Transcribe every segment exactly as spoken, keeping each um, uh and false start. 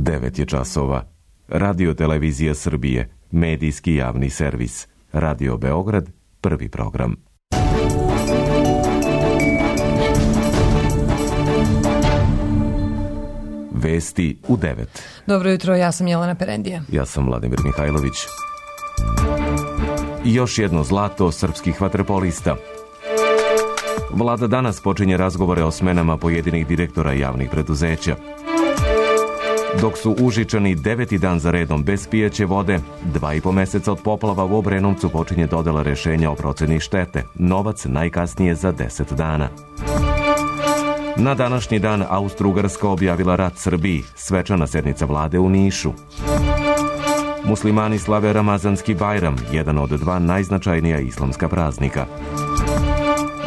devet je časova. Radio Televizija Srbije, medijski javni servis. Radio Beograd, prvi program. Vesti u devet. Dobro jutro, ja sam Jelena Perendija. Ja sam Vladimir Mihajlović. I još jedno zlato srpskih vaterpolista. Vlada danas počinje razgovore o smenama pojedinih direktora javnih preduzeća. Dok su Užičani deveti dan za redom bez pijaće vode, dva i po meseca od poplava u Obrenovcu počinje dodela rešenja o proceni štete. Novac najkasnije za deset dana. Na današnji dan Austro-Ugarska objavila rat Srbiji, svečana sednica vlade u Nišu. Muslimani slave Ramazanski Bajram, jedan od dva najznačajnija islamska praznika.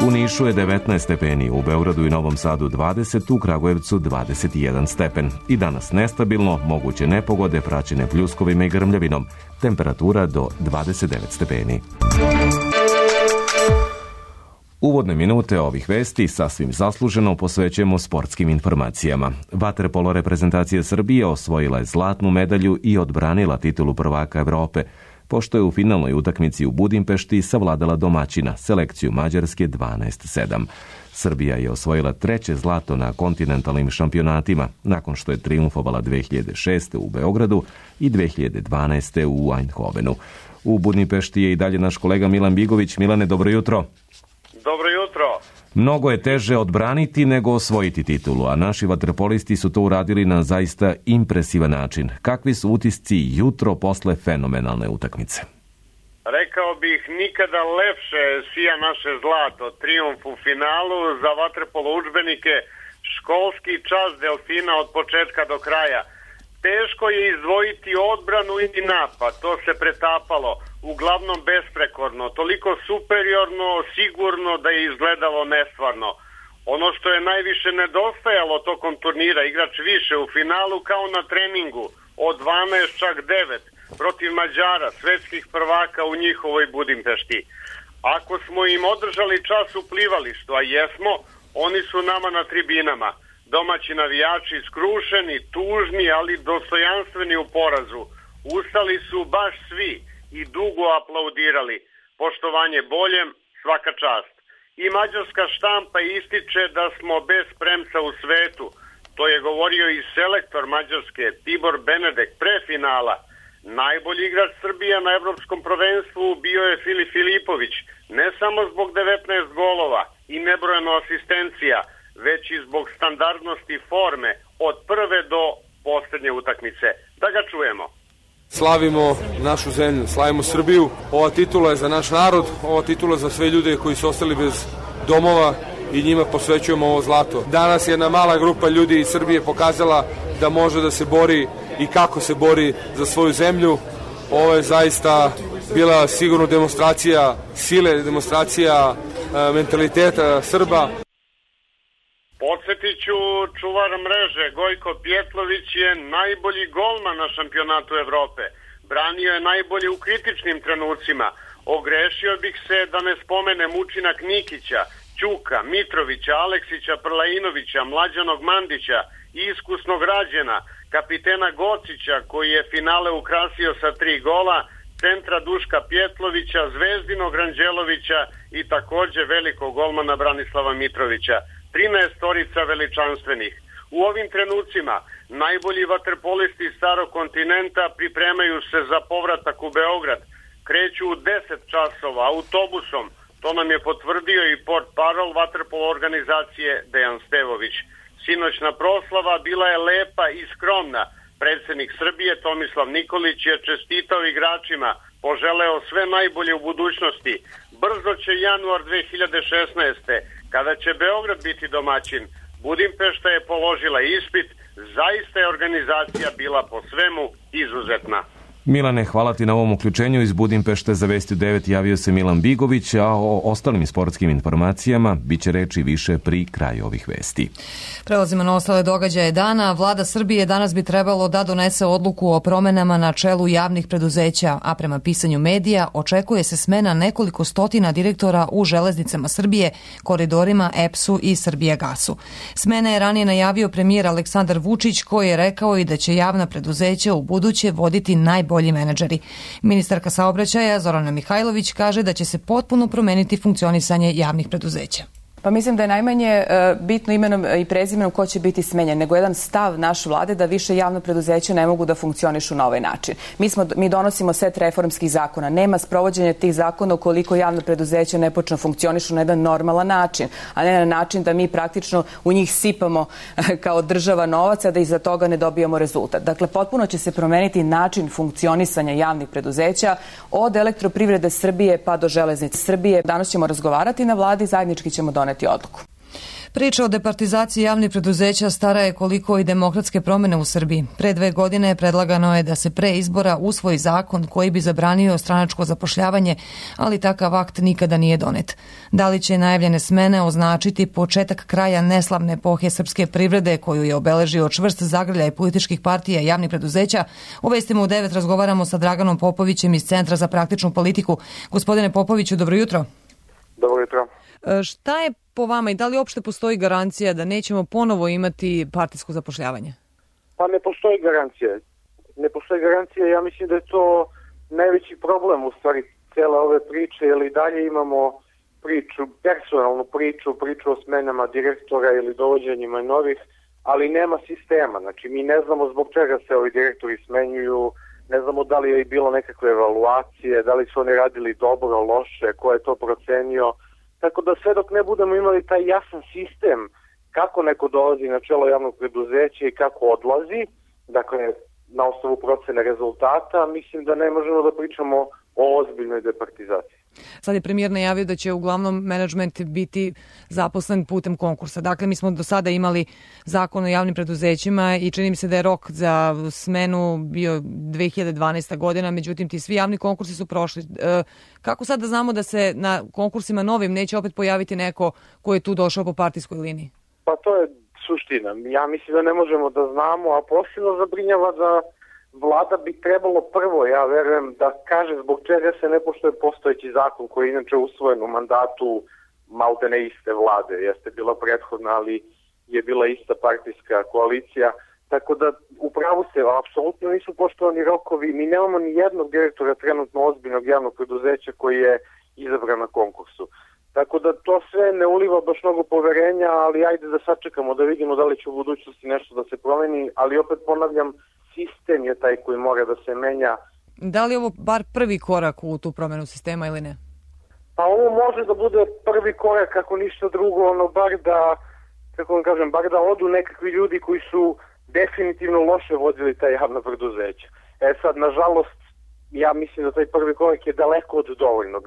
U Nišu je devetnaest stepeni, u Beogradu i Novom Sadu dvadeset, u Kragujevcu dvadeset jedan stepen. I danas nestabilno, moguće nepogode praćene pljuskovima i grmljavinom. Temperatura do dvadeset devet stepeni. Uvodne minute ovih vesti sasvim zasluženo posvećujemo sportskim informacijama. Vaterpolo reprezentacija Srbije osvojila je zlatnu medalju i odbranila titulu prvaka Evrope, pošto je u finalnoj utakmici u Budimpešti savladala domaćina, selekciju Mađarske dvanaest sedam. Srbija je osvojila treće zlato na kontinentalnim šampionatima, nakon što je trijumfovala dve hiljade šeste. u Beogradu i dve hiljade dvanaeste. u Eindhovenu. U Budimpešti je i dalje naš kolega Milan Bigović. Milane, dobro jutro. Dobro jutro. Mnogo je teže odbraniti nego osvojiti titulu, a naši vaterpolisti su to uradili na zaista impresivan način. Kakvi su utisci jutro posle fenomenalne utakmice? Rekao bih, nikada lepše sija naše zlato, trijumf u finalu za vaterpolo udžbenike, školski čas delfina od početka do kraja. Teško je izdvojiti odbranu i napad, to se pretapalo, uglavnom besprekorno, toliko superiorno, sigurno da je izgledalo nestvarno. Ono što je najviše nedostajalo tokom turnira, igrač više u finalu kao na treningu, od dvanaest čak devet, protiv Mađara, svetskih prvaka u njihovoj Budimpešti. Ako smo im održali čas u plivalištu, a jesmo, oni su nama na tribinama. Domaći navijači skrušeni, tužni, ali dostojanstveni u porazu. Ustali su baš svi i dugo aplaudirali. Poštovanje boljem, svaka čast. I mađarska štampa ističe da smo bez premca u svetu. To je govorio i selektor Mađarske, Tibor Benedek, pre finala. Najbolji igrač Srbija na evropskom prvenstvu bio je Filip Filipović, ne samo zbog devetnaest golova i nebrojeno asistencija, već i zbog standardnosti forme od prve do posljednje utakmice. Da ga čujemo. Slavimo našu zemlju, slavimo Srbiju. Ova titula je za naš narod, ova titula je za sve ljude koji su ostali bez domova i njima posvećujemo ovo zlato. Danas je jedna mala grupa ljudi iz Srbije pokazala da može da se bori i kako se bori za svoju zemlju. Ovo je zaista bila sigurno demonstracija sile, demonstracija e, mentaliteta Srba. Podsjetit ću, čuvar mreže Gojko Pjetlović je najbolji golman na šampionatu Evrope. Branio je najbolje u kritičnim trenucima. Ogrešio bih se da ne spomenem učinak Nikića, Ćuka, Mitrovića, Aleksića, Prlainovića, Mlađanog Mandića, iskusnog Rađena, kapitena Gocića koji je finale ukrasio sa tri gola, centra Duška Pjetlovića, Zvezdinog Ranđelovića i također velikog golmana Branislava Mitrovića. trinaestorica veličanstvenih. U ovim trenucima najbolji vaterpolisti starog kontinenta pripremaju se za povratak u Beograd. Kreću u deset časova autobusom. To nam je potvrdio i portparol vaterpolo organizacije Dejan Stevović. Sinoćna proslava bila je lepa i skromna. Predsjednik Srbije Tomislav Nikolić je čestitao igračima, poželeo sve najbolje u budućnosti. Brzo će januar dve hiljade šesnaeste. kada će Beograd biti domaćin. Budimpešta je položila ispit, zaista je organizacija bila po svemu izuzetna. Milane, hvala ti na ovom uključenju. Iz Budimpešte za Vesti u devet javio se Milan Bigović, a o ostalim sportskim informacijama biće reči više pri kraju ovih vesti. Prelazimo na ostale događaje dana. Vlada Srbije danas bi trebalo da donese odluku o promenama na čelu javnih preduzeća, a prema pisanju medija očekuje se smena nekoliko stotina direktora u Železnicama Srbije, Koridorima, E P S-u i Srbijagasu. Smene je ranije najavio premijer Aleksandar Vučić, koji je rekao i da će javna preduzeća u buduće voditi najbolji menadžeri. Ministarka saobraćaja Zorana Mihajlović kaže da će se potpuno promeniti funkcionisanje javnih preduzeća. Pa mislim da je najmanje uh, bitno imenom i prezimenom ko će biti smenjen, nego jedan stav naš vlade da više javno preduzeće ne mogu da funkcionišu na ovaj način. Mi, smo, mi donosimo set reformskih zakona. Nema sprovođenja tih zakona ukoliko javno preduzeće ne počne funkcionišu na jedan normalan način, a ne na način da mi praktično u njih sipamo uh, kao država novac, a da iza toga ne dobijamo rezultat. Dakle, potpuno će se promeniti način funkcionisanja javnih preduzeća od Elektroprivrede Srbije pa do Železnice Srbije. Danas ćemo razgovarati na vladi, zajednički ćemo doneti odluku. Priča o departizaciji javnih preduzeća stara je koliko i demokratske promene u Srbiji. Pre dve godine predlagano je da se pre izbora usvoji zakon koji bi zabranio stranačko zapošljavanje, ali takav akt nikada nije donet. Da li će najavljene smene označiti početak kraja neslavne epohe srpske privrede koju je obeležio čvrst zagrljaj političkih partija i javnih preduzeća? U Vestima u devet razgovaramo sa Draganom Popovićem iz Centra za praktičnu politiku. Gospodine Popoviću, dobro jutro. Dobro jutro. Šta je po vama i da li uopšte postoji garancija da nećemo ponovo imati partijsko zapošljavanje? Pa ne postoji garancija. Ne postoji garancija. Ja mislim da je to najveći problem u stvari cele ove priče, jer i dalje imamo priču, personalnu priču, priču o smenama direktora ili dovođenjima novih, ali nema sistema. Znači, mi ne znamo zbog čega se ovi direktori smenjuju, ne znamo da li je bilo nekakve evaluacije, da li su oni radili dobro, loše, ko je to procenio. Tako da sve dok ne budemo imali taj jasan sistem kako neko dolazi na čelo javnog preduzeća i kako odlazi, dakle na osnovu procene rezultata, mislim da ne možemo da pričamo o ozbiljnoj departizaciji. Sad je premijer najavio da će uglavnom menadžment biti zaposlen putem konkursa. Dakle, mi smo do sada imali zakon o javnim preduzećima i čini mi se da je rok za smenu bio dve hiljade dvanaesta godina, međutim ti svi javni konkursi su prošli. E, kako sad da znamo da se na konkursima novim neće opet pojaviti neko ko je tu došao po partijskoj liniji? Pa to je suština. Ja mislim da ne možemo da znamo, a posebno zabrinjava da vlada bi trebalo prvo, ja verujem, da kaže zbog čega se ne poštuje postojeći zakon koji je inače usvojen u mandatu maltene iste vlade. Jeste bila prethodna, ali je bila ista partijska koalicija. Tako da upravo se, apsolutno nisu poštovani rokovi. Mi nemamo ni jednog direktora trenutno ozbiljnog javnog preduzeća koji je izabran na konkursu. Tako da to sve ne uliva baš mnogo poverenja, ali ajde da sačekamo da vidimo da li će u budućnosti nešto da se promeni, ali opet ponavljam, sistem je taj koji mora da se menja. Da li je ovo bar prvi korak u tu promenu sistema ili ne? Pa ovo može da bude prvi korak, ako ništa drugo, ono bar da, kako vam kažem, bar da odu nekakvi ljudi koji su definitivno loše vodili taj javno preduzeće. E sad, nažalost, ja mislim da taj prvi korak je daleko od dovoljnog.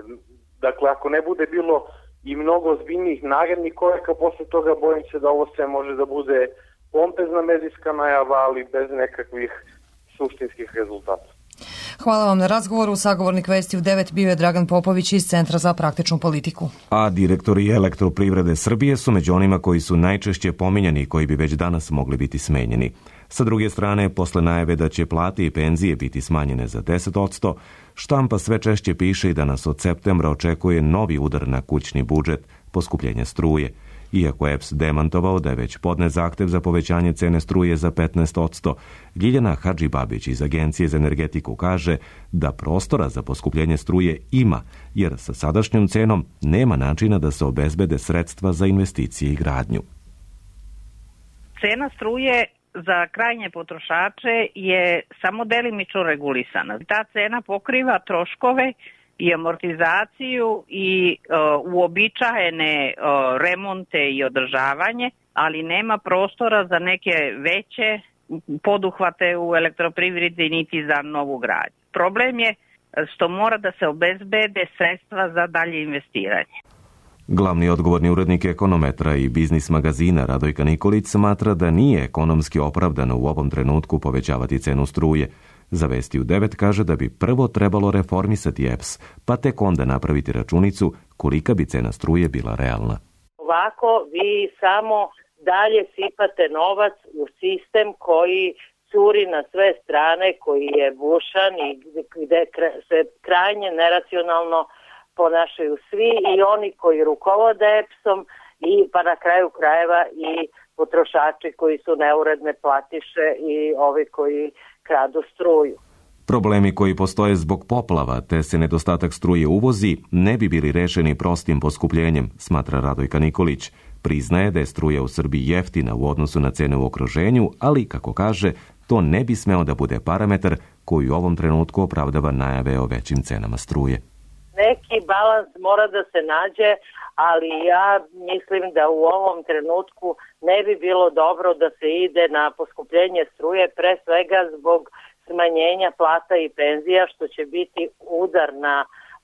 Dakle, ako ne bude bilo i mnogo ozbiljnijih narednih koraka, posle toga bojim se da ovo sve može da bude pompezna medijska najava, ali bez nekakvih suštinskih rezultata. Hvala vam na razgovoru. Sagovornik Vesti u devet bio je Dragan Popović iz Centra za praktičnu politiku. A direktori Elektroprivrede Srbije su među onima koji su najčešće pominjani i koji bi već danas mogli biti smenjeni. Sa druge strane, posle najave da će plate i penzije biti smanjene za deset posto, štampa sve češće piše i da nas od septembra očekuje novi udar na kućni budžet, poskupljenje struje. Iako je E P S demantovao da je već podnet zahtev za povećanje cene struje za petnaest posto, Ljiljana Hadžibabić iz Agencije za energetiku kaže da prostora za poskupljenje struje ima, jer sa sadašnjom cenom nema načina da se obezbede sredstva za investicije i gradnju. Cena struje za krajnje potrošače je samo delimično regulisana. Ta cena pokriva troškove i amortizaciju i uh, uobičajene uh, remonte i održavanje, ali nema prostora za neke veće poduhvate u elektroprivredi niti za novu gradnju. Problem je što mora da se obezbede sredstva za dalje investiranje. Glavni odgovorni urednik Ekonometra i biznis magazina Radojka Nikolić smatra da nije ekonomski opravdano u ovom trenutku povećavati cenu struje. Za Vesti u devet kaže da bi prvo trebalo reformisati E P S, pa tek onda napraviti računicu kolika bi cena struje bila realna. Ovako vi samo dalje sipate novac u sistem koji curi na sve strane, koji je bušan i gde se krajnje neracionalno ponašaju svi, i oni koji rukovode E P S-om, i pa na kraju krajeva i potrošači koji su neuredne platiše i ovi koji kradu struju. Problemi koji postoje zbog poplava te se nedostatak struje uvozi ne bi bili rešeni prostim poskupljenjem, smatra Radojka Nikolić. Priznaje da je struja u Srbiji jeftina u odnosu na cene u okruženju, ali, kako kaže, to ne bi smeo da bude parametar koji u ovom trenutku opravdava najave o većim cenama struje. Neki balans mora da se nađe, ali ja mislim da u ovom trenutku ne bi bilo dobro da se ide na poskupljenje struje, pre svega zbog smanjenja plata i penzija, što će biti udar na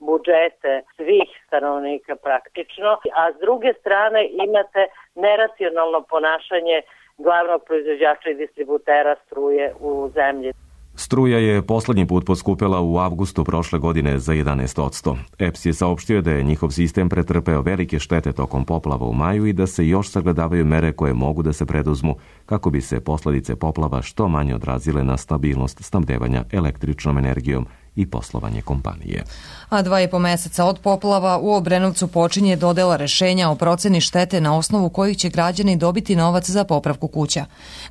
budžete svih stanovnika praktično, a s druge strane imate neracionalno ponašanje glavnog proizvođača i distributera struje u zemlji. Struja je poslednji put poskupela u avgustu prošle godine za jedanaest posto. E P S je saopštio da je njihov sistem pretrpeo velike štete tokom poplava u maju i da se još sagledavaju mere koje mogu da se preduzmu kako bi se posledice poplava što manje odrazile na stabilnost snabdevanja električnom energijom i poslovanje kompanije. A dva i po meseca od poplava u Obrenovcu počinje dodela rešenja o proceni štete na osnovu kojih će građani dobiti novac za popravku kuća.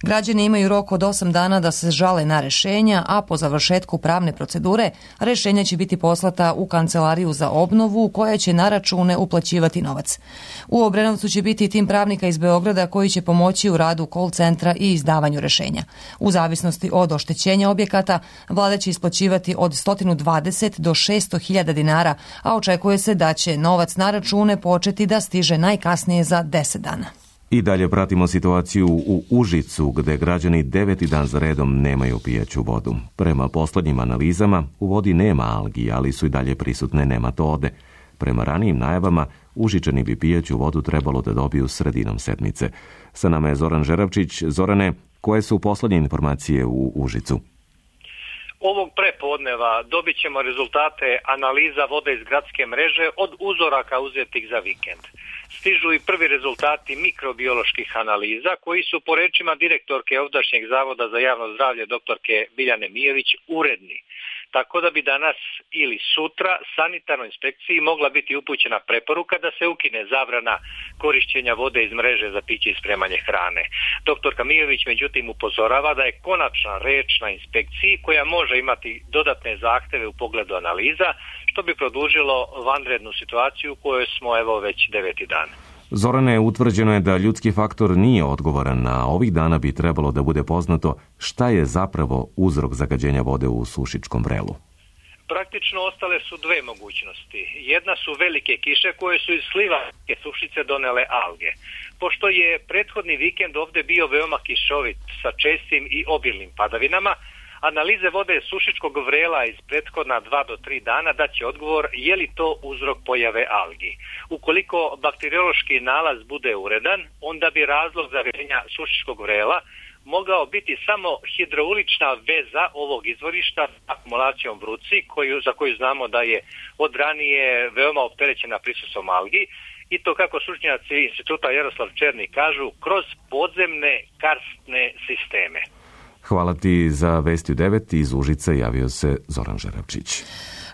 Građani imaju rok od osam dana da se žale na rešenja, a po završetku pravne procedure rešenja će biti poslata u Kancelariju za obnovu koja će na račune uplaćivati novac. U Obrenovcu će biti tim pravnika iz Beograda koji će pomoći u radu call centra i izdavanju rešenja. U zavisnosti od oštećenja objekata, vlada će isplaćivati od sto dvadeset do šesto hiljada dinara, a očekuje se da će novac na račune početi da stiže najkasnije za deset dana. I dalje pratimo situaciju u Užicu, gde građani deveti dan za redom nemaju pijaću vodu. Prema poslednjim analizama, u vodi nema algi, ali su i dalje prisutne nematode. Prema ranijim najavama, Užičani bi pijaću vodu trebalo da dobiju sredinom sedmice. Sa nama je Zoran Žeravčić. Zorane, koje su poslednje informacije u Užicu? Ovog prepodneva dobit ćemo rezultate analiza vode iz gradske mreže od uzoraka uzetih za vikend. Stižu i prvi rezultati mikrobioloških analiza koji su po rečima direktorke ovdašnjeg Zavoda za javno zdravlje doktorke Biljane Mijević uredni. Tako da bi danas ili sutra sanitarnoj inspekciji mogla biti upućena preporuka da se ukine zabrana korišćenja vode iz mreže za piće i spremanje hrane. Doktorka Mijević međutim upozorava da je konačna reč na inspekciji koja može imati dodatne zahteve u pogledu analiza, što bi produžilo vanrednu situaciju u kojoj smo evo već deveti dan. Zorane, utvrđeno je da ljudski faktor nije odgovoran, a ovih dana bi trebalo da bude poznato šta je zapravo uzrok zagađenja vode u Sušičkom vrelu. Praktično ostale su dve mogućnosti. Jedna su velike kiše koje su iz slivanske Sušice donele alge. Pošto je prethodni vikend ovde bio veoma kišovit sa čestim i obilnim padavinama, analize vode Sušičkog vrela iz prethodna dva do tri dana daće odgovor je li to uzrok pojave algi. Ukoliko bakteriološki nalaz bude uredan, onda bi razlog zagađenja Sušičkog vrela mogao biti samo hidraulična veza ovog izvorišta s akumulacijom vruci, koju, za koju znamo da je od ranije veoma opterećena prisustvom algi, i to kako stručnjaci instituta Jaroslav Černi kažu, kroz podzemne karstne sisteme. Hvala ti. Za Vesti u devet iz Užice javio se Zoran Žeravčić.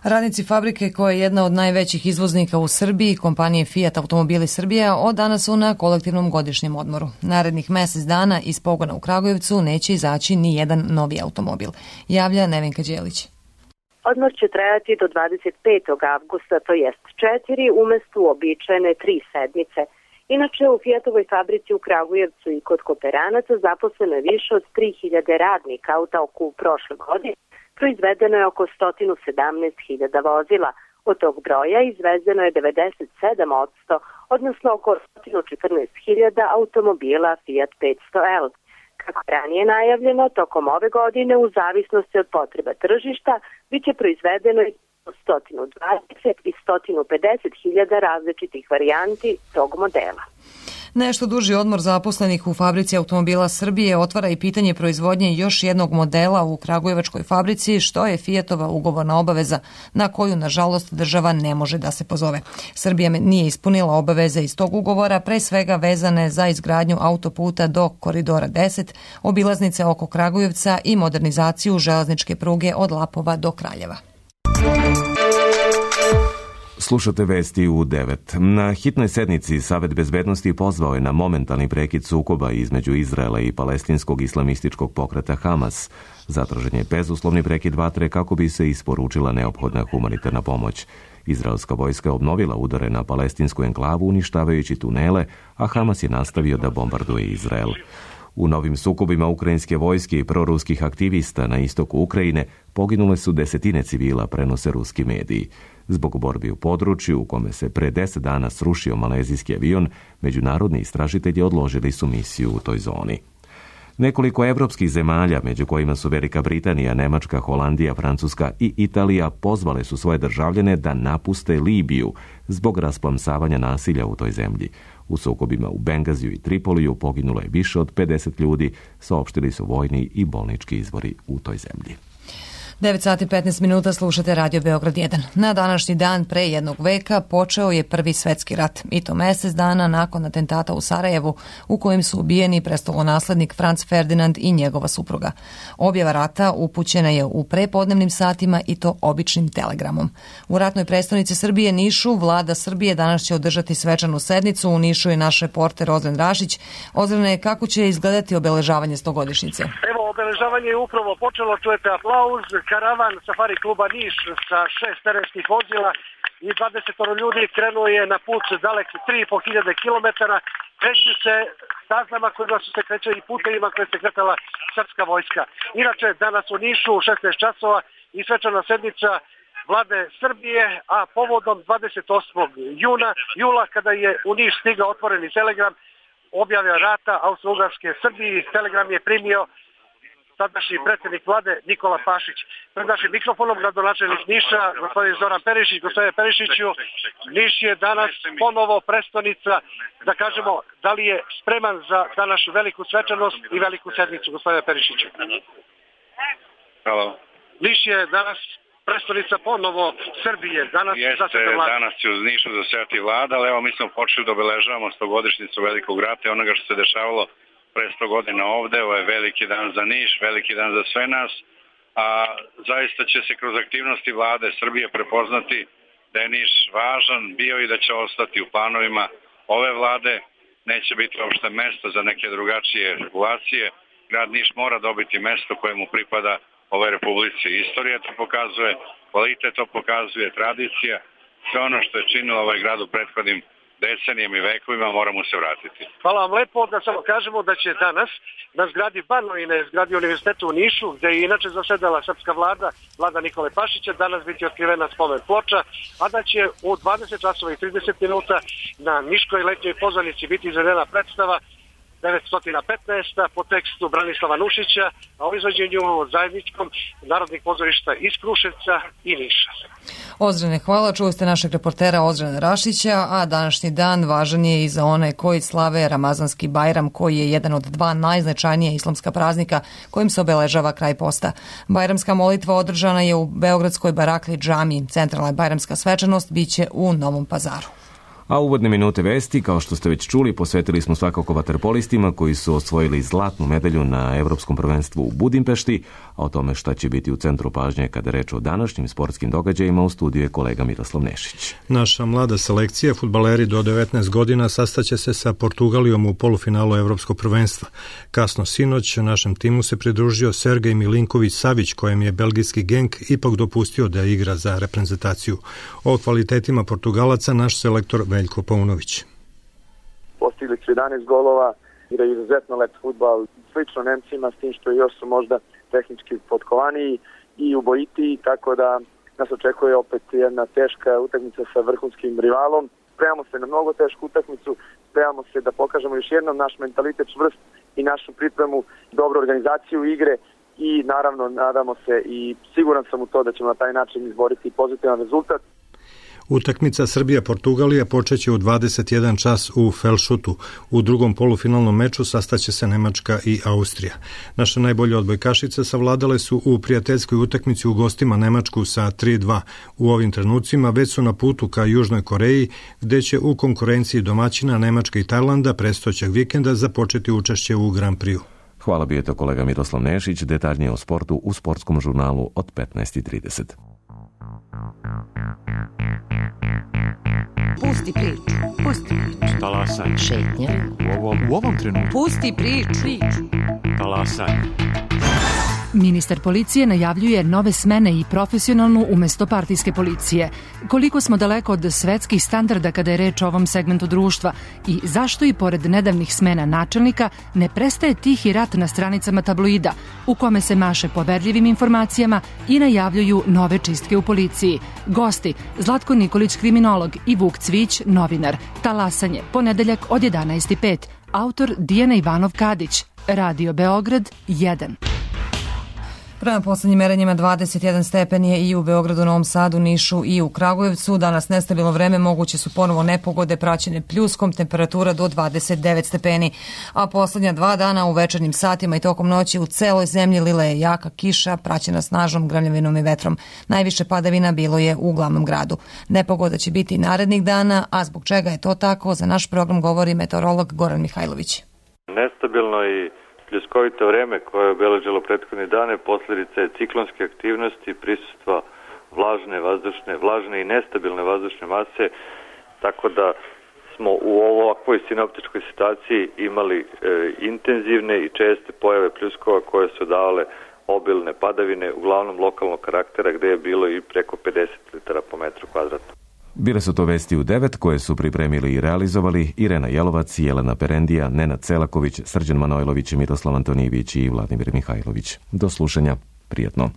Radnici fabrike, koja je jedna od najvećih izvoznika u Srbiji, kompanije Fiat Automobili Srbija, od danas su na kolektivnom godišnjem odmoru. Narednih mesec dana iz pogona u Kragujevcu neće izaći ni jedan novi automobil, javlja Nevenka Đelić. Odmor će trajati do dvadeset petog avgusta, to jest četiri umesto uobičajene tri sedmice. Inače, u Fiatovoj fabrici u Kragujevcu i kod kooperanaca zaposleno je više od tri hiljade radnika, u toku prošle godine proizvedeno je oko sto sedamnaest hiljada vozila. Od tog broja izvezeno je devedeset sedam posto, odnosno oko sto četrnaest hiljada automobila Fiat petsto L. Kako je ranije najavljeno, tokom ove godine, u zavisnosti od potreba tržišta, bit će proizvedeno i sto dvadeset i sto pedeset hiljada različitih varijanti tog modela. Nešto duži odmor zaposlenih u fabrici automobila Srbije otvara i pitanje proizvodnje još jednog modela u kragujevačkoj fabrici, što je Fiatova ugovorna obaveza na koju, nažalost, država ne može da se pozove. Srbija nije ispunila obaveze iz tog ugovora, pre svega vezane za izgradnju autoputa do Koridora deset, obilaznice oko Kragujevca i modernizaciju železničke pruge od Lapova do Kraljeva. Slušate vesti u devet. Na hitnoj sednici Savet bezbednosti pozvao je na momentalni prekid sukoba između Izraela i palestinskog islamističkog pokreta Hamas. Zatražen je bezuslovni prekid vatre kako bi se isporučila neophodna humanitarna pomoć. Izraelska vojska je obnovila udare na palestinsku enklavu uništavajući tunele, a Hamas je nastavio da bombarduje Izrael. U novim sukobima ukrajinske vojske i proruskih aktivista na istoku Ukrajine poginule su desetine civila, prenose ruski mediji. Zbog borbi u području u kome se pre deset dana srušio malezijski avion, međunarodni istražitelji odložili su misiju u toj zoni. Nekoliko evropskih zemalja, među kojima su Velika Britanija, Nemačka, Holandija, Francuska i Italija, pozvale su svoje državljane da napuste Libiju zbog rasplamsavanja nasilja u toj zemlji. U sukobima u Bengaziju i Tripoliju poginulo je više od pedeset ljudi, saopštili su vojni i bolnički izvori u toj zemlji. devet sati petnaest minuta, slušate Radio Beograd jedan. Na današnji dan pre jednog veka počeo je Prvi svetski rat, i to mesec dana nakon atentata u Sarajevu, u kojem su ubijeni prestolonaslednik Franz Ferdinand i njegova supruga. Objava rata upućena je u prepodnevnim satima i to običnim telegramom. U ratnoj prestonici Srbije, Nišu, vlada Srbije danas će održati svečanu sednicu. U Nišu je naš reporter Ozren Rašić. Ozrene, kako će izgledati obeležavanje stogodišnjice? Evo, obeležavanje je upravo počelo, čujete aplauz. Karavan Safari kluba Niš sa šest terenskih vozila i dvadeset ljudi krenuo je na put dalek tri i po hiljade kilometara. Kreću se staznama kojima su se krećali i putevima koje se kretala srpska vojska. Inače, danas u Nišu u šesnaest časova i svečana sednica vlade Srbije, a povodom dvadeset osmog juna, jula, kada je u Niš stigao otvoreni telegram objave rata Austro-Ugarske Srbiji, telegram je primio sadašnji predsjednik vlade Nikola Pašić. Pred našim mikrofonom gradonačelnik Niša, gospodin Zoran Perišić. Gospodine Perišiću, Niš je danas ponovo prestonica, da kažemo, da li je spreman za današnju veliku svečanost i veliku sednicu, gospodine Perišiću? Halo. Niš je danas prestonica ponovo Srbije. Danas Jeste, danas će uz Nišu zasedati vlada, ali evo mi smo počeli da obeležavamo stogodišnjicu velikog rata i onoga što se dešavalo pre sto godina ovde. Ovo je veliki dan za Niš, veliki dan za sve nas, a zaista će se kroz aktivnosti vlade Srbije prepoznati da je Niš važan bio i da će ostati u planovima ove vlade. Neće biti uopšte mesto za neke drugačije regulacije. Grad Niš mora dobiti mesto koje mu pripada ovoj republici. Istorija to pokazuje, kvalitet to pokazuje, tradicija, sve ono što je činilo ovaj grad u prethodnim decenijama i vekovima, moramo se vratiti. Hvala vam lepo, da samo kažemo da će danas na zgradi Banovine, zgradi Univerziteta u Nišu, gde je inače zasedala srpska vlada, vlada Nikole Pašića, danas biti otkrivena spomen ploča, a da će u dvadeset časova i trideset minuta na Niškoj letnjoj pozornici biti izvedena predstava devetsto petnaest po tekstu Branislava Nušića, a o izvođenju zajedničkom Narodnih pozorišta iz Kruševca i Niša. Ozrene, hvala. Čuli ste našeg reportera Ozrena Rašića, a današnji dan važan je i za one koji slave Ramazanski Bajram, koji je jedan od dva najznačajnija islamska praznika kojim se obeležava kraj posta. Bajramska molitva održana je u Beogradskoj Barakli džamiji. Centralna bajramska svečanost biće u Novom Pazaru. A uvodne minute vesti, kao što ste već čuli, posvetili smo svakako vaterpolistima koji su osvojili zlatnu medalju na Evropskom prvenstvu u Budimpešti, a o tome šta će biti u centru pažnje kada reč o današnjim sportskim događajima u studiju je kolega Miroslav Nešić. Naša mlada selekcija, fudbaleri do devetnaest godina, sastaće se sa Portugalijom u polufinalu Evropskog prvenstva. Kasno sinoć našem timu se pridružio Sergej Milinković-Savić, kojem je belgijski Genk ipak dopustio da igra za reprezentaciju. O kvalitetima Portugalaca naš selektor Veljko Paunović. Postigli su jedanaest golova, igraju izuzetno lep fudbal, slično Nemcima, s tim što još su možda tehnički potkovaniji i ubojitiji, tako da nas očekuje opet jedna teška utakmica sa vrhunskim rivalom. Spremamo se na mnogo tešku utakmicu, spremamo se da pokažemo još jednom naš mentalitet čvrst i našu pripremu, dobru organizaciju igre i naravno nadamo se i siguran sam u to da ćemo na taj način izboriti pozitivan rezultat. Utakmica Srbija-Portugalija počeće u dvadeset jedan čas u Felšutu. U drugom polufinalnom meču sastaće se Nemačka i Austrija. Naše najbolje odbojkašice savladale su u prijateljskoj utakmici u gostima Nemačku sa tri dva. U ovim trenucima već su na putu ka Južnoj Koreji, gde će u konkurenciji domaćina Nemačke i Tajlanda prestojećeg vikenda započeti učešće u Grand Prixu. Hvala, bio je to kolega Miroslav Nešić, detaljnije o sportu u sportskom žurnalu od petnaest i trideset. Pusti priču, pusti priču. Talasaj. Šetnja. U ovom, u ovom trenutku. Pusti priču. Talasaj. Ministar policije najavljuje nove smene i profesionalnu umesto partijske policije. Koliko smo daleko od svetskih standarda kada je reč o ovom segmentu društva i zašto i pored nedavnih smena načelnika ne prestaje tihi rat na stranicama tabloida u kome se maše poverljivim informacijama i najavljuju nove čistke u policiji. Gosti Zlatko Nikolić, kriminolog, i Vuk Cvić, novinar. Talasanje, ponedeljak od jedanaest i pet. Autor Dijana Ivanov Kadić. Radio Beograd jedan. Prema poslednjim merenjima dvadeset jedan stepen je i u Beogradu, Novom Sadu, Nišu i u Kragujevcu. Danas nestabilno vreme, moguće su ponovo nepogode praćene pljuskom, temperatura do dvadeset devet stepeni. A poslednja dva dana u večernjim satima i tokom noći u celoj zemlji lila je jaka kiša, praćena snažnom grmljavinom i vetrom. Najviše padavina bilo je u glavnom gradu. Nepogoda će biti narednih dana, a zbog čega je to tako, za naš program govori meteorolog Goran Mihajlović. Nestabilno i pljuskovito vreme koje je obeležilo prethodne dane posljedica je ciklonske aktivnosti, prisustva vlažne vazdušne, vlažne i nestabilne vazdušne mase, tako da smo u ovakvoj sinoptičkoj situaciji imali e, intenzivne i česte pojave pljuskova koje su davale obilne padavine, uglavnom lokalnog karaktera, gde je bilo i preko pedeset litara po metru kvadratnom. Bile su to vesti u devet koje su pripremili i realizovali Irena Jelovac, Jelena Perendija, Nenad Celaković, Srđan Manojlović, Miroslav Antonijević i Vladimir Mihajlović. Do slušanja, prijetno.